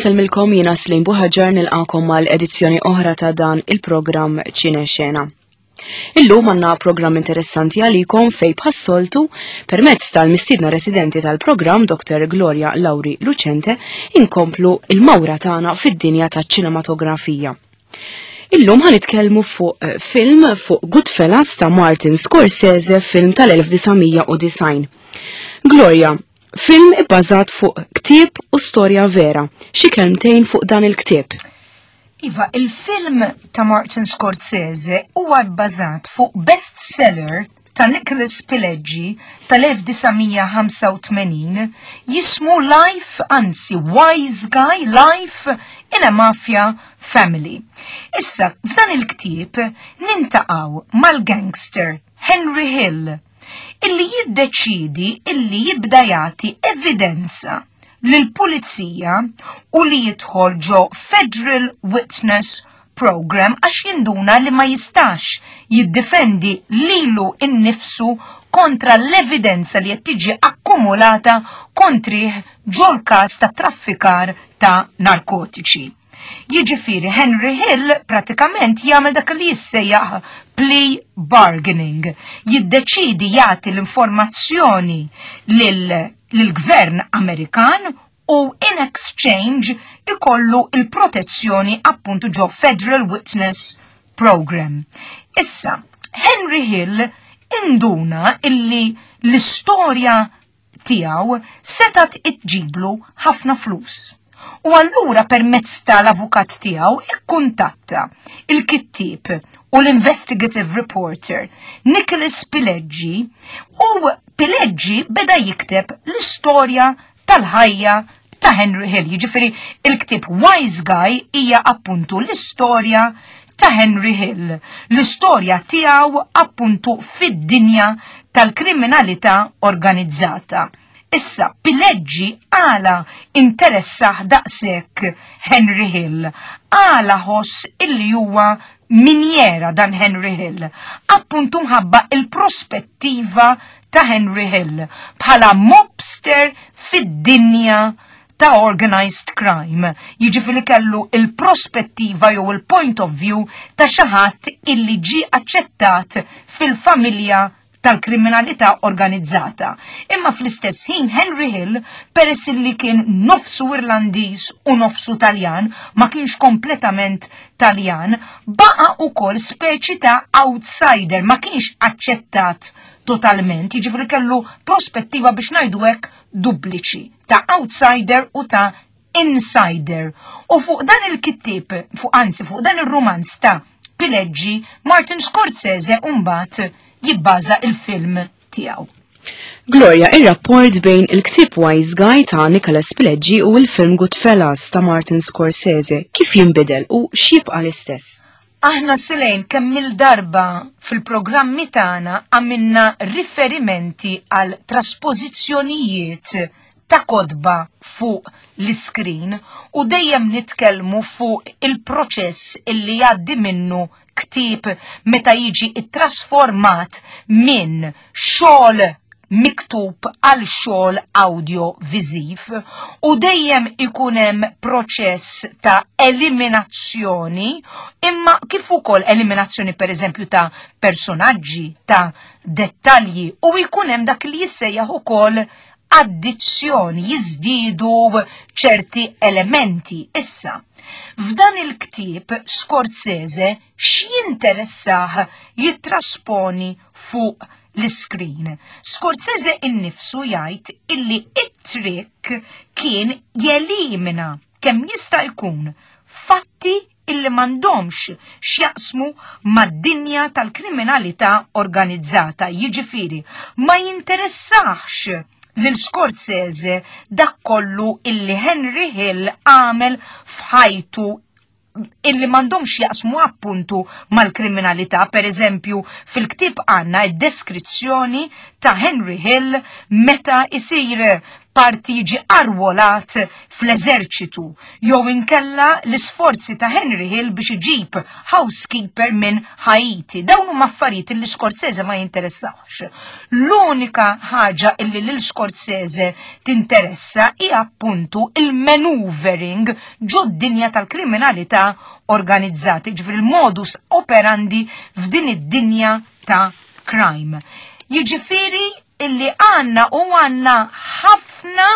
Insellmilkom jiena Slim Buħaġar nilqakom mal edizzjoni oħra ta' dan il-programm Ċine Xena. Illum għandna programm interessanti għalikom fej bħas-soltu permezz tal-mistiedna residenti tal-programm Dr. Gloria Lauri Lucente inkomplu il-mawra tagħna fid-dinja taċ-ċinematografija. Illum ħan nitkellmu fuq eh, film fuq Goodfellas ta' Martin Scorsese, film tal-1990. Gloria, film ibbażat fuq ktieb u storja vera. Xi kelmtejn fuq dan il-ktieb? Iva, il-film ta' Martin Scorsese huwa bbażat fuq bestseller ta' Nicholas Pileggi tal-1985 jismu Life, anzi Wise Guy Life in a Mafia Family. Issa, f'dan il-ktieb nintaqgħu mal-gangster Henry Hill illi jiddeċidi illi jibda jagħti evidenza lill-pulizija u li jidħol ġo Federal Witness Program għax jinduna li ma jistax jiddefendi lilu innifsu kontra l-evidenza li qed tiġi akkumulata kontrih ġol-każ ta' traffikar ta' narkotiċi. Jiġifieri Henry Hill pratikament jagħmel dak li jissejjaħ plea bargaining, jiddeċidi jagħti l-informazzjoni lill-gvern Amerikan u in exchange ikollu il-protezzjoni appuntu ġo Federal Witness Program. Issa, Henry Hill induna illi l-istorja tiegħu setat iġġiblu ħafna flus. U allura permezz tal-avukat tiegħu ikkuntatta il-kittieb u l-investigative reporter Nicholas Pileggi u Pileggi beda jikteb l-istorja tal-ħajja ta' Henry Hill. Jiġifieri il-ktieb Wise Guy hija appuntu l-istorja ta' Henry Hill, l-istorja tiegħu appuntu fid-dinja tal-kriminalità organizzata. Issa, Pileggi għala interessah daqshekk Henry Hill, għala ħoss illi huwa minjera dan Henry Hill, appuntu mħabba il-prospettiva ta' Henry Hill bħala mobster fid-dinja ta' organized crime. Jiġifieri kellu il-prospettiva jew il-point of view ta' xi ħadd illi ġie aċċettat fil-familja tal-kriminalità organizzata. Imma fl-istess ħin Henry Hill, peress li kien nofsu Irlandiż u nofsu Taljan, ma kienx kompletament Taljan, baqa ukoll speċi ta' outsider, ma kienx aċċettat totalment, jiġifieri kellu prospettiva biex ngħidu hekk dupliċi ta' outsider u ta' insider. U fuq dan il-kittieb, fuq anzi fuq dan ir-rumanz ta' Pileggi, Martin Scorsese mbagħad jibbaża il-film tiegħu. Gloria, ir-rapport bejn il-ktieb Wise Guy ta' Nicholas Pileggi u il-film Goodfellas ta' Martin Scorsese kif jinbidel u x'jibqa' l-istess? Aħna Selejn kemm il-darba fil-programmi tagħna għamilna riferimenti għal traspożizzjonijiet ta' kotba fuq l-iskrin u dejjem nitkellmu fuq il-proċess illi jgħaddi minnu ktieb meta jiġi ttrasformat minn xogħol miktub għal xogħol awdjoviżiv u dejjem ikun hemm proċess ta' eliminazzjoni imma kif ukoll eliminazzjoni pereżempju ta' personaġġi, ta' dettalji u jkun hemm dak li jissejjaħ ukoll addizzjoni, jiżdiedu ċerti elementi. Issa, f'dan il-ktieb Scorsese x'jinteressah jittrasponi fuq l-iskrin. Scorsese innifsu jgħid illi it-trick kien jelimina kemm jista' jkun fatti illi m'għandhomx x'jaqsmu mad-dinja tal-kriminalità organizzata, jiġifieri ma jinteressax lil Scorsese dak kollu illi Henry Hill għamel f'ħajtu illi m'għandhomx jaqsmu appuntu mal-kriminalità. Per eżempju, fil-ktieb għandna id-deskrizzjoni ta' Henry Hill meta isir parti jiġi arwolat fl-eżerċitu jew inkella l-isforzi ta' Henry Hill biex iġib housekeeper minn Haiti. Dawn huma affarijiet li Scorsese ma jinteressawx. L-unika ħaġa illi lil Scorsese tinteressa hi appuntu il-maneuvering ġod-dinja tal-kriminalità organizzata, ġifieri il-modus operandi f'din id-dinja ta' crime. Jiġifieri illi għandna u għandna ħafna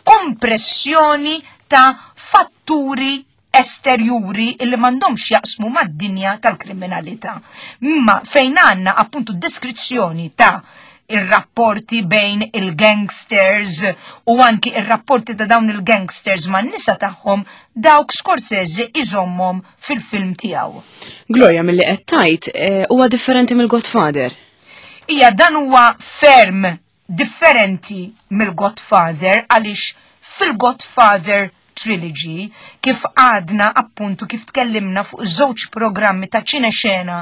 kompressjoni ta' fatturi esterjuri illi m'għandhomx jaqsmu mad-dinja tal-kriminalità. Imma fejn għandna appuntu deskrizzjoni ta' ir-rapporti bejn il-gangsters u anki ir-rapporti ta' dawn il-gangsters man nisa tagħhom dawk Scorsese iżommhom fil-film tiegħu. Gloria milli qed tgħid eh, huwa differenti mill-Godfather. Ija dan huwa ferm differenti mill-Godfather għaliex fil-Godfather Trilogy kif għadna appuntu kif tkellimna fuq żewġ programmi ta' ċinexena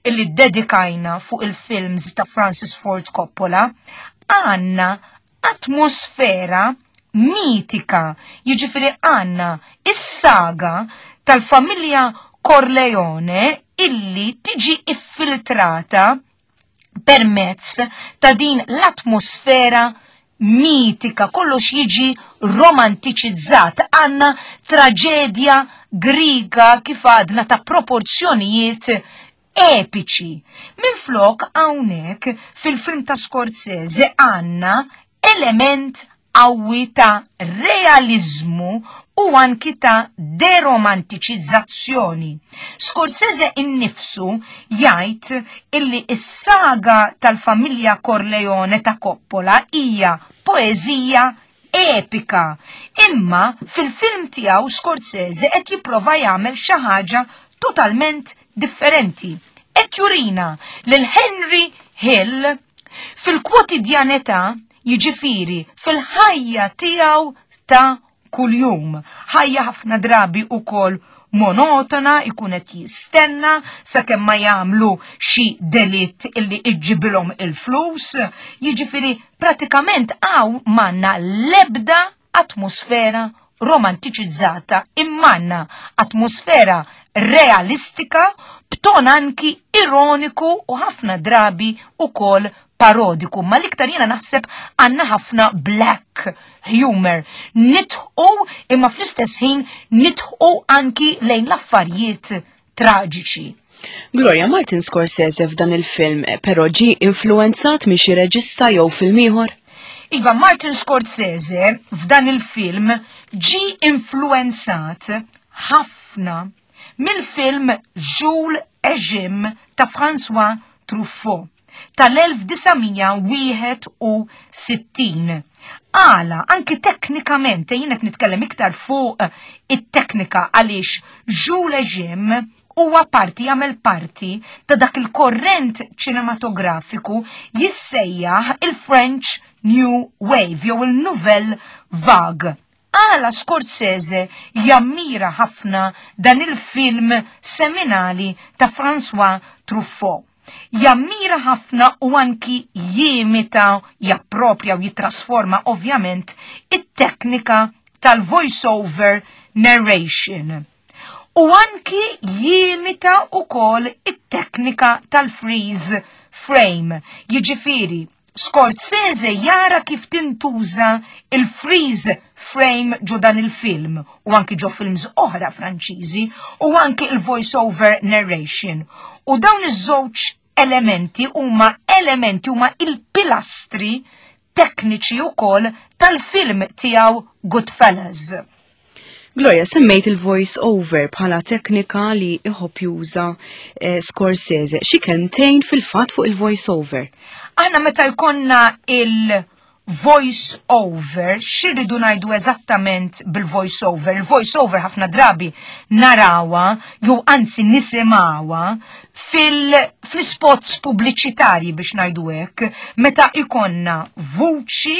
illi dedikajna fuq il-films ta' Francis Ford Coppola, għanna atmosfera mitika, jiġifieri għanna is-saga tal-familja Corleone illi tiġi iffiltrata permezz ta' din l-atmosfera mitika, kollox jiġi romantiċizzat, għanna traġedja griga kif għadna ta' proporzjonijiet epiċi. Minflok hawnhekk fil-film ta' Scorsese għandna element qawwi ta' realiżmu u anki ta' deromantiċizzazzjoni. Scorsese innifsu jgħid illi s-saga tal-familja Corleone ta' Coppola hija poeżija epika. Imma fil-film tiegħu Scorsese qed jipprova jagħmel xi ħaġa totalment differenti. Qed jurina lil Henry Hill fil-kwotidjanità jiġifieri fil-ħajja tiegħu ta' kuljum. Ħajja ħafna drabi ukoll monotona, ikun qed jistenna sakemm ma jagħmlu xi delitt illi iġġibilhom il-flus, jiġifieri pratikament hawn m'għandna l-ebda atmosfera romantiċizzata imma atmosfera realistika b'ton anki ironiku u ħafna drabi ukoll parodiku, ma l-iktar jiena naħseb għandna ħafna black humor. Nidħqu imma fl-istess ħin nidħqu anki lejn l-affarijiet traġiċi. Gloria Martin Scorsese f'dan il-film però ġie influenzat minn xi reġista jew film ieħor? Iva, Martin Scorsese f'dan il-film ġie influenzat ħafna mill-film Jules et Jim ta' François Truffaut tal-1961. Għala, anki teknikament, jien qed nitkellem iktar fuq it-teknika għaliex Jules et Jim huwa parti jagħmel parti ta' dak il-korrent ċinematografiku jissejjaħ il-French New Wave jew il-Nouvelle Vague. Għala Scorsese jammira ħafna dan il-film seminali ta' François Truffaut. Jammira ħafna u anki jimita, japproprja u jitrasforma ovvjament it-teknika tal-voice-over narration. U anki jimita ukoll it-teknika tal-freeze frame. Jiġifieri, Scorsese jara kif tintuża il-freeze frame ġo dan il-film u anki ġo films oħra Franċiżi u anki il-voice-over narration. U dawn iż-żewġ elementi huma elementi huma il-pilastri tekniċi wkoll tal-film tiegħu Goodfellas. Gloria, semmejt il-voice over bħala teknika li iħobb juża eh, Scorsese. Xi kelmtejn fil-fatt fuq il-voice over? Aħna meta jkollna il-voice over, x'irridu ngħidu eżattament bil-voice over? Il-voice over ħafna drabi narawha jew anzi nisimgħuha fil-spots pubbliċitarji biex ngħidu hekk, meta ikonna vuċi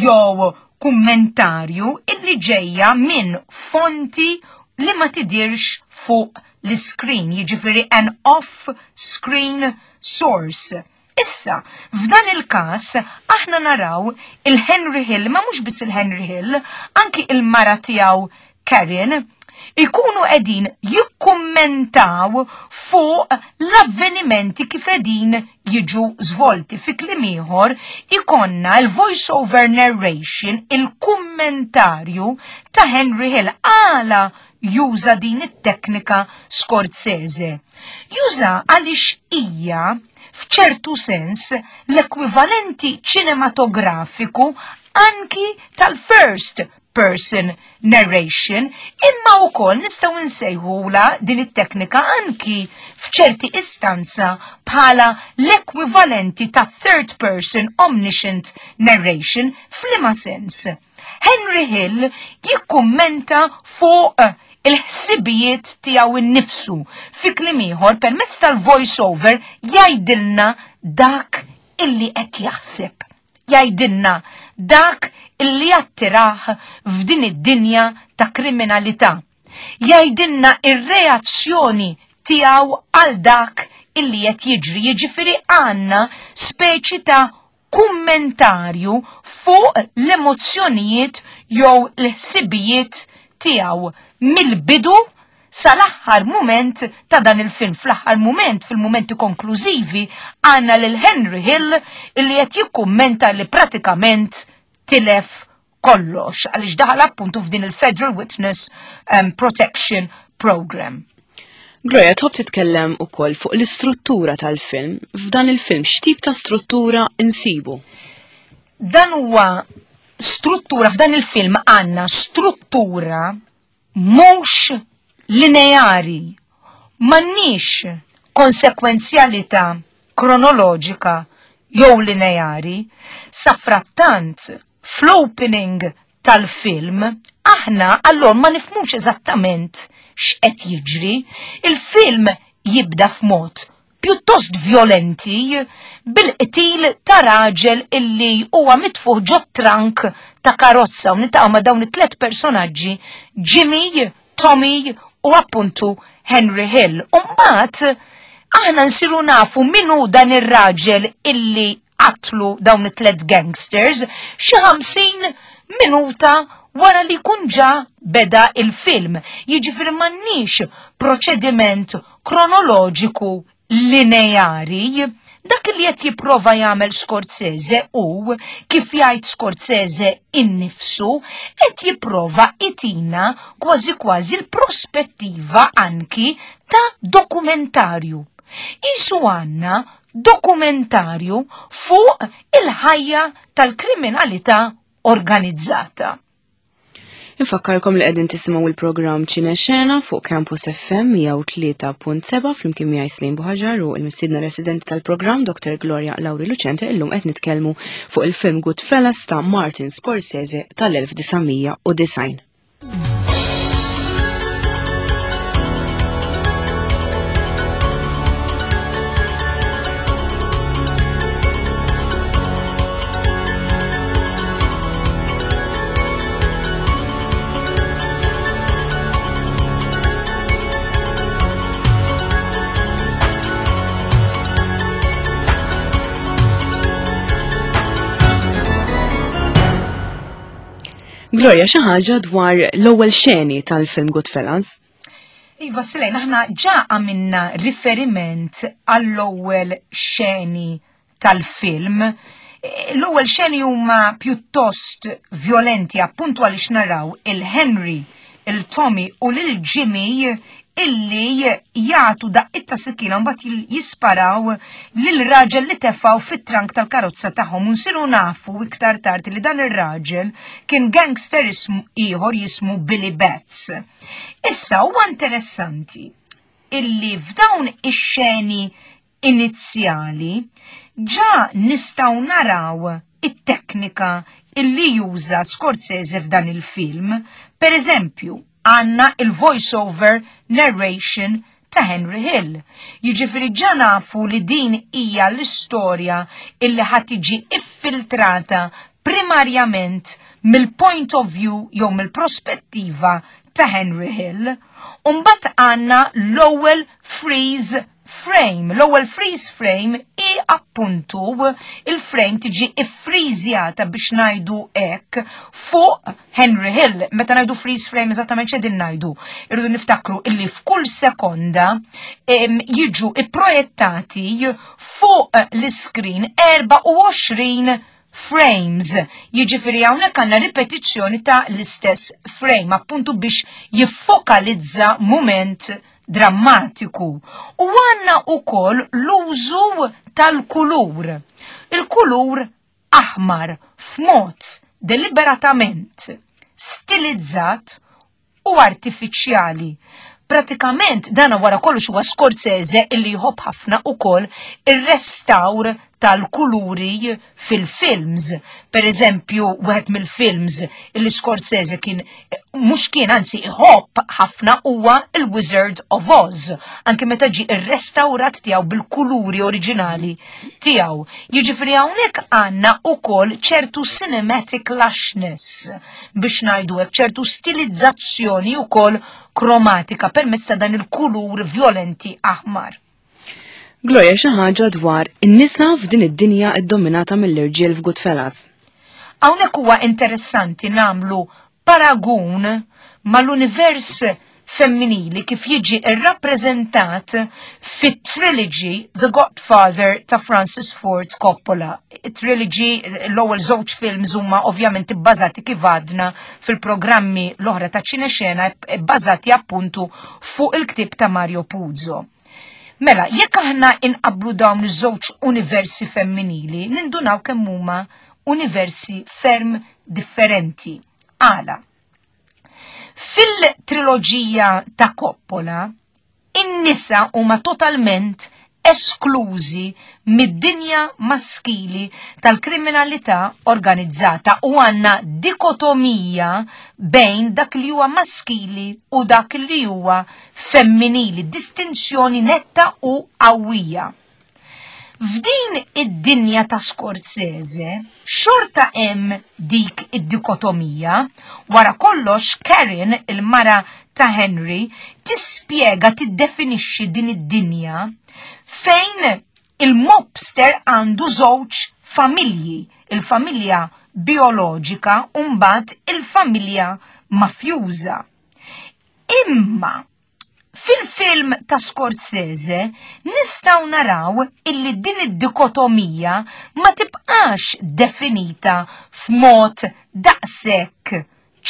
jew kummentarju illi ġejja minn fonti li ma tidirx fuq l-screen, jiġifieri an off-screen source. Issa, f'dan il-każ aħna naraw il-Henry Hill, ma mhux biss il-Henry Hill, anki il-mara tiegħu Karen, ikunu qegħdin jikkummentaw fuq l-avvenimenti kif qegħdin jiġu żvolti. Fi kliem ieħor, ikonna l-voice over narration, il-kummentarju ta' Henry Hill għala juża din it-teknika Scorsese. Juża għaliex hija f'ċertu sens l-ekwivalenti ċinematografiku anki tal-first person narration, imma wkoll nistgħu nsejħula din it-teknika anki f'ċerti istanza bħala l-ekwivalenti ta' third person omniscient narration f'liema sens. Henry Hill jikkummenta fuq il-ħsibijiet tiegħu innifsu fi kliem ieħor permezz tal-voice over jgħidilna dak illi qed jaħseb. Jgħidilna dak illi attirah f'din id-dinja ta' kriminalità. Jgħidilna ir-reazzjoni tiegħu għal dak illi qed jiġri, jiġifieri għandna speċi ta' kummentarju fuq l-emozzjonijiet jew l-ħsibijiet tiegħu mill-bidu sal-aħħar mument ta' dan il-film. Fl-aħħar mument, fil-mumenti konklużivi, għandna lil Henry Hill illi qed jikkummenta li pratikament tilef kollox għaliex daħal appuntu f'din il-Federal Witness um, Protection Program. Gloria, tħobb titkellem ukoll fuq l-istruttura tal-film. F'dan il-film x'tip ta' struttura insibu? Dan huwa struttura f'dan il-film għandna struttura mhux lineari. M'għandniex konsekwenzjalità kronoloġika jew lineari. Safrattant, fl-opening tal-film, aħna allor ma nifhmux eżattament x'qed jiġri. Il-film jibda f'mod pjuttost vjolenti bil-qtil ta' raġel illi huwa mitfuħ ġo trunk ta' karozza u niltaqgħu ma' dawn it-tlet personaġġi Jimmy, Tommy u appuntu Henry Hill. U mbagħad aħna nsiru nafu min hu dan ir-raġel illi qatlu dawn it-tlet gangsters xi 50 minuta wara li jkun ġa beda il-film. Jiġifieri m'għandniex proċediment kronoloġiku lineari. Dak li qed jipprova jagħmel Scorsese u kif jgħid Scorsese innifsu qed jipprova itina kważi kważi l-prospettiva anki ta' dokumentarju. Isu għandna dokumentarju fuq il-ħajja tal-kriminalità organizzata. Infakkarkom li qegħdin tisimgħu il-programm Ċine Xena fuq Campus FM 103.7 flimkien miegħi Slim Buħaġar u l-mistiedna residenti tal-programm Dr. Gloria Lauri Lucente illum qed nitkellmu fuq il-film Goodfellas ta' Martin Scorsese tal-1990. Gloria, xi ħaġa dwar l-ewwel xeni tal-film Goodfellas? Iva, Silejn, aħna ġa għamilna riferiment għall-ewwel xeni tal-film. L-ewwel xeni huma pjuttost violenti appuntu għaliex naraw il-Henry, il-Tommy u lil Jimmy illi jagħtu daqqiet ta' sikkina mbagħad jisparaw lil raġel li tefgħu fit-trank tal-karozza tagħhom u nsiru nafu iktar tard li dan ir-raġel kien gangster ieħor jismu Billy Betts. Issa huwa interessanti illi f'dawn ix-xeni inizjali ġa nistgħu naraw it-teknika illi juża Scorsese f'dan il-film. Per eżempju, għandna il-voice-over narration ta' Henry Hill. Jiġifieri ġa nafu li din hija l-istorja illi ħa tiġi iffiltrata primarjament mill-point of view jew mill-prospettiva ta' Henry Hill. U mbagħad għandna l-ewwel freeze. frame. L-ewwel freeze frame hi appuntu il-frame tiġi iffriżjata biex ngħidu hekk fuq Henry Hill. Meta ngħidu freeze frame eżattament x'qegħdin ngħidu. Irridu niftakru illi f'kull sekonda jiġu ipprojettati fuq l-iskrin 24 frames. Jiġifieri hawnhekk għandna ripetizzjoni ta' l-istess frame, appuntu biex jiffokalizza mument drammatiku. U għandna ukoll l-użu tal-kulur. Il-kulur aħmar f'mod deliberatament stilizzat u artifiċjali. Pratikament dana wara kollox huwa Scorsese illi jħobb ħafna ukoll ir-restawr tal-kuluri fil-films. Per eżempju, wieħed mill-films illi Scorsese kien mhux kien anzi iħobb ħafna huwa il-Wizard of Oz, anke meta ġie irrestawrat tiegħu bil-kuluri oriġinali tiegħu. Jiġifieri hawnhekk għandna ukoll ċertu cinematic lushness biex ngħidu hekk ċertu stilizzazzjoni ukoll kromatika permezz ta' dan il-kulur violenti aħmar. Gloria xi ħaġa dwar in-nisa f'din id-dinja ddominata mill-irġiel f'Goodfellas. Hawnhekk huwa interessanti nagħmlu paragun mal-univers femminili kif jiġi rrappreżentat fit-trilogy The Godfather ta' Francis Ford Coppola. Trilogy l-ewwel żewġ films huma ovvjament ibbażati kif għadna fil-programmi l-oħra ta' ċinexena bbażati appuntu fuq il-ktieb ta' Mario Puzo. Mela, jekk aħna inqablu dawn iż-żewġ universi femminili, nindunaw kemm huma universi ferm differenti. Għala? Fil-triloġija ta' Coppola, in-nisa huma totalment esklużi mid-dinja maskili tal-kriminalità organizzata u għandna dikotomija bejn dak li huwa maskili u dak li huwa femminili, distinzjoni netta u qawwija. F'din id-dinja ta' Scorsese, xorta hemm dik id-dikotomija. Wara kollox Karen, il-mara ta' Henry, tispjega tiddefinixxi din id-dinja fejn il-mobster għandu żewġ familji, il-familja bioloġika u mbagħad il-familja mafjuża. Imma Fil-film ta' Scorsese nistgħu naraw illi din id-dikotomija ma tibqax definita f'mod daqshekk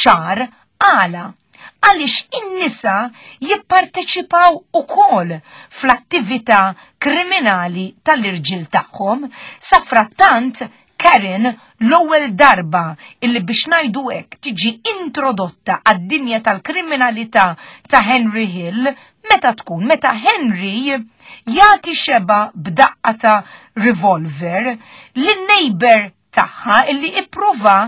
ċar għala għaliex in-nisa jipparteċipaw ukoll fl-attività kriminali tal-irġiel tagħhom. Safrattant Karen l-ewwel darba illi biex ngħidu hekk tiġi introdotta għad-dinja tal-kriminalità ta' Henry Hill meta tkun meta Henry jagħti xeba b'daqqa ta' revolver lin-neighbor tagħha illi ippruva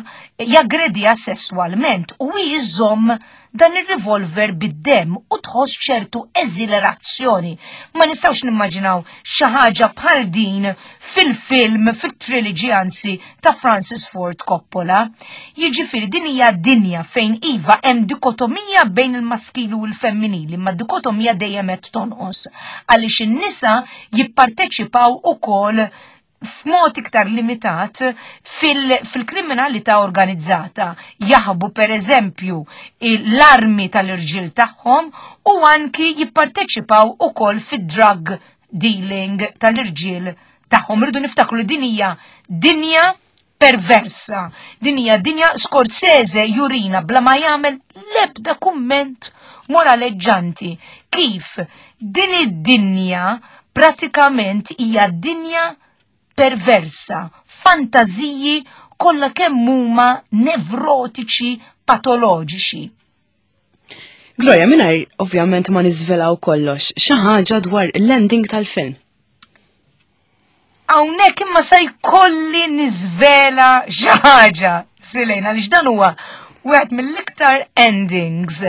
jaggrediha sesswalment u hi żżomm dan ir-revolver bid-demm u tħoss ċertu eżilerazzjoni. Ma nistgħux nimmaġinaw xi ħaġa bħal din fil-film, fit-trilogy anzi ta' Francis Ford Coppola. Jiġifieri din hija dinja fejn iva hemm dikotomija bejn il-maskili u l-femminili, ma dikotomija dejjem qed tonqos għaliex in-nisa jipparteċipaw ukoll f'mod iktar limitat fil-kriminalità fil organizzata. Jaħbu per eżempju l-armi tal-irġiel tagħhom u anki jipparteċipaw ukoll fid-drug dealing tal-irġiel tagħhom. Irridu niftakru li din hija dinja perversa. Din hija dinja Scorsese jurina bla ma jagħmel l-ebda kumment moraleġġanti kif din id-dinja pratikament hija dinja perversa, fantażiji kollha kemm huma nevrotiċi patoloġiċi. Gloria, mingħajr ovvjament ma niżvelaw kollox, xi ħaġa dwar l-ending tal-film. Hawnhekk imma se jkolli niżvela xi ħaġa, Silena, għaliex dan huwa wieħed mill-iktar endings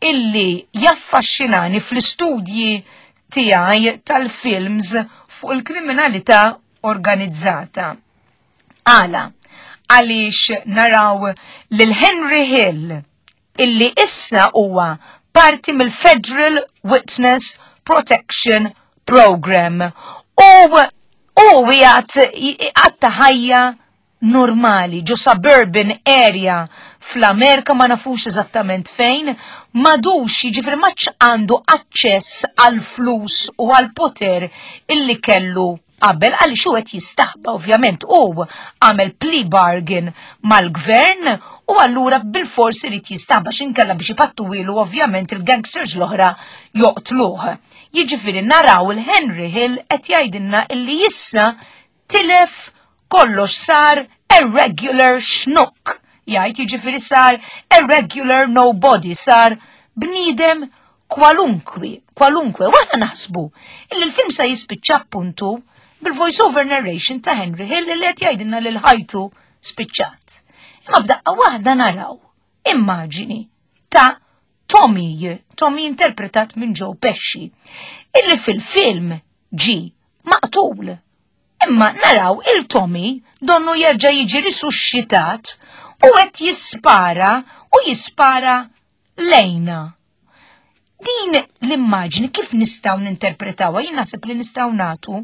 illi jaffaxxinani fl-istudji tiegħi tal-films fuq il-kriminalità organizzata. Għala, għaliex naraw lil Henry Hill illi issa huwa parti mill-Federal Witness Protection program u u jgħat għatta ħajja normali ġo suburban area fl-Amerika ma nafux eżattament fejn, madux jiġifieri maċ għandu aċċess għal flus u għal poter illi kellu qabel għaliex hu qed jistaħba ovvjament u għamel plea bargain mal-gvern u allura bil-fors irid jistaħba x'inkella biex ipattuwilu ovvjament il-gangsters l-oħra joqtluh. Jiġifieri naraw il-Henry Hill qed jgħidilna illi issa tilef kollox sar a regular schnook. Jgħid jiġifieri sar a regular nobody, sar bniedem kwalunkwi, kwalunkwe, u aħna naħsbu illi l-film sa jispiċċa appuntu bil-voice-over narration ta' Henry Hill li qed jgħidilna lil ħajtu spiċċat. Imma f'daqqa waħda naraw immaġini ta' Tommy, Tommy interpretat minn Joe Pesci, illi fil-film ġi maqtul. Imma naraw il-Tommy donnu jerġa' jiġi risusxitat u qed jispara u jispara lejna. Din l-immaġni kif nistgħu ninterpretawha? Jien naħseb li nistgħu nagħtu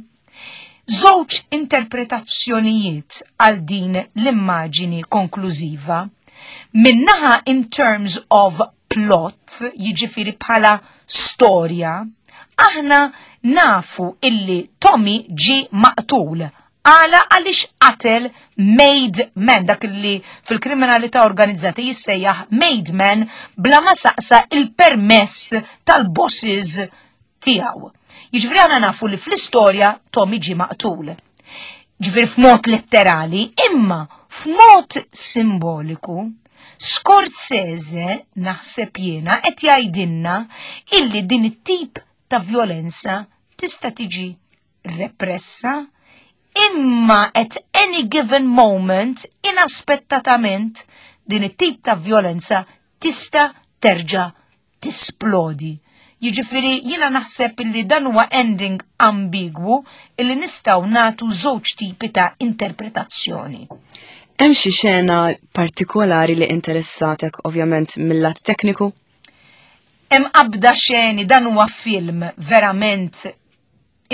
żewġ interpretazzjonijiet għal din l-immaġini konklużiva. Minnaħa in terms of plot, jiġifieri bħala storja, aħna nafu illi Tommy ġi maqtul Għala għaliex qatel made man, dak li fil-kriminalità organizzata jissejjaħ made man bla ma saqsa il-permess tal-bosses tiegħu. Jiġifieri aħna nafu li fl-istorja Tommy ġie maqtul. Ġifieri f'mod letterali, imma f'mod simboliku, Scorsese naħseb jiena qed jgħidilna illi din it-tip ta' violenza tista' tiġi repressa, imma at any given moment, inaspettatament, din it-tip ta' violenza tista' terġa' tisplodi. Jiġifieri jiena naħseb illi dan huwa ending ambigwu illi nistgħu nagħtu żewġ tipi ta' interpretazzjoni. Hemm xi xena partikolari li interessatek ovvjament mill-lat tekniku? Hemm qabda xeni dan huwa film verament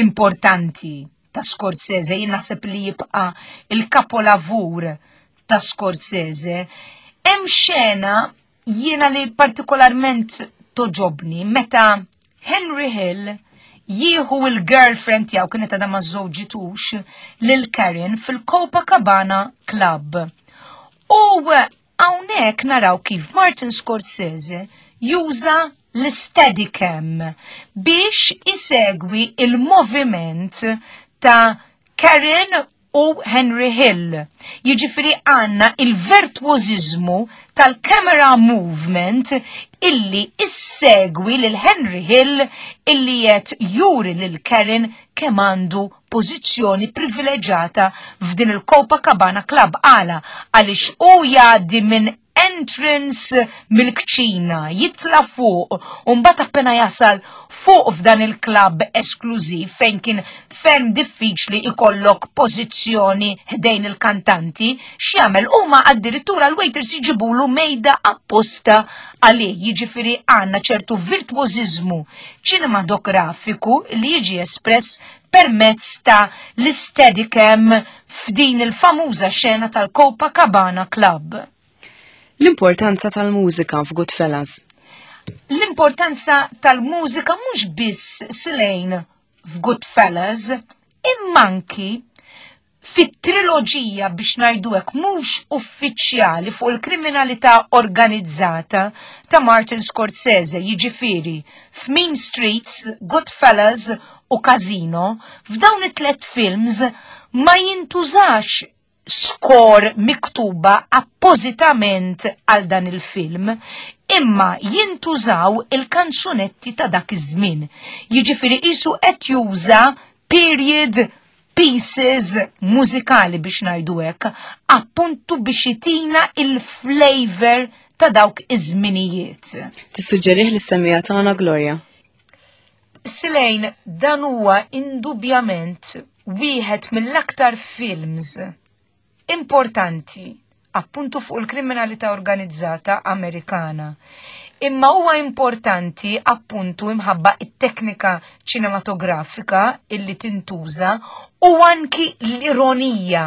importanti ta' Scorsese, jien naħseb li jibqa' il-kapolavur ta' Scorsese. Hemm xena jiena li partikolarment toġobni meta Henry Hill jieħu il-girlfriend tiegħu kienet għadha ma żewġitux lil Karen fil-Copacabana Club. U Hawnhekk naraw kif Martin Scorsese juża l-Steadicam biex isegwi il-moviment ta' Karen u Henry Hill. Jiġifieri għandna il-virtuożiżmu tal-camera movement illi issegwi lil Henry Hill illi qed juri lil Karen kemm għandu pożizzjoni privileġġata f'din il-Copacabana Club għala għaliex hu jgħaddi minn entrance mill-kċina, jitla fuq, u mbagħad appena jasal fuq f'dan il-klabb esklużiv fejn kien ferm diffiċli ikollok pożizzjoni ħdejn il-kantanti, x'jagħmel huma addirittura l-waiters jġibulu mejda apposta għalih, jiġifieri għandna ċertu virtwożiżmu ċinematografiku li jiġi espress permezz ta' l-Steadicam f'din il-famuża xena tal-Copacabana Club. L-importanza tal-mużika f'Goodfellas. L-importanza tal-mużika mhux biss silejn f'Goodfellas, imma anki fit-triloġija biex ngħidu hekk mhux uffiċjali fuq il-kriminalità organizzata ta' Martin Scorsese, jiġifieri f'Mean Streets, Goodfellas u Casino, f'dawn it-tlet films ma jintużax score miktuba appożitament għal dan il-film, imma jintużaw il-kanzunetti ta' dak iż-żmien. Jiġifieri qisu qed juża period pieces mużikali biex ngħidu hekk, appuntu biex itina il-flavor ta' dawk iż-żminijiet. Tissuġġerih lis-semmiegħa tagħna Gloria? Silejn, dan huwa indubjament wieħed mill-aktar films importanti appuntu fuq il-kriminalità organizzata Amerikana. Imma huwa importanti appuntu imħabba it-teknika ċinematografika illi tintuża u anki l-ironija.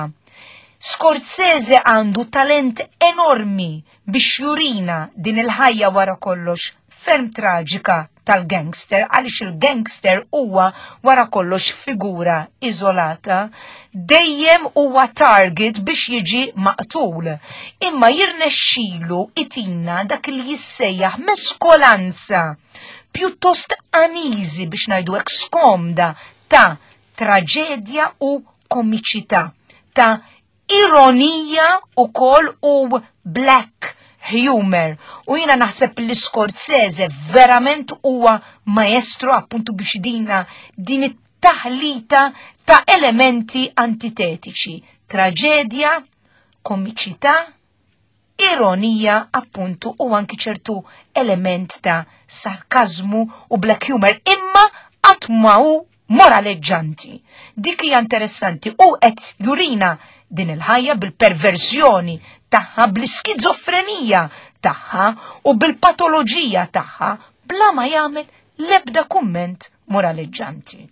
Scorsese għandu talent enormi biex jurina din il-ħajja wara kollox ferm traġika tal-gangster għaliex il-gangster huwa wara kollox figura iżolata, dejjem huwa target biex jiġi maqtul. Imma jirnexxilu itina dak li jissejjaħ meskolanza pjuttost aniżi biex ngħidu hekk skomda ta' traġedja u komiċità, ta' ironija ukoll u black humor. U jiena naħseb li Scorsese verament huwa maestro appuntu biex dina din it-taħlita ta' elementi antitetiċi. Traġedja, komiċità, ironija appuntu u anki ċertu element ta' sarkazmu u black humor imma qatt ma hu moraleġġanti. Dik hija interessanti u qed jurina din il-ħajja bil-perversjoni tagħha, bl-iskizofrenija tagħha u bil-patoloġija tagħha bla ma jagħmel l-ebda kumment moraleġġanti.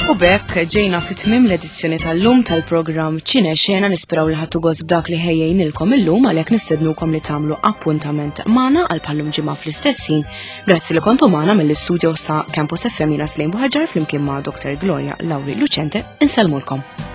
U bekk ġejna fit tmim l-edizzjoni tal-lum tal-programm Ċine Xena nisperaw li ħattu gost b'dak li ħejjejnilkom illum għalhekk nistednukom li tagħmlu appuntament magħna għal bħallum ġimgħa fl-istess ħin. Grazzi li kontu magħna mill-istudio sa Campus FM jiena Slejn Buħaġar flimkien ma' Dr. Gloria Lauri Lucente insellmulkom.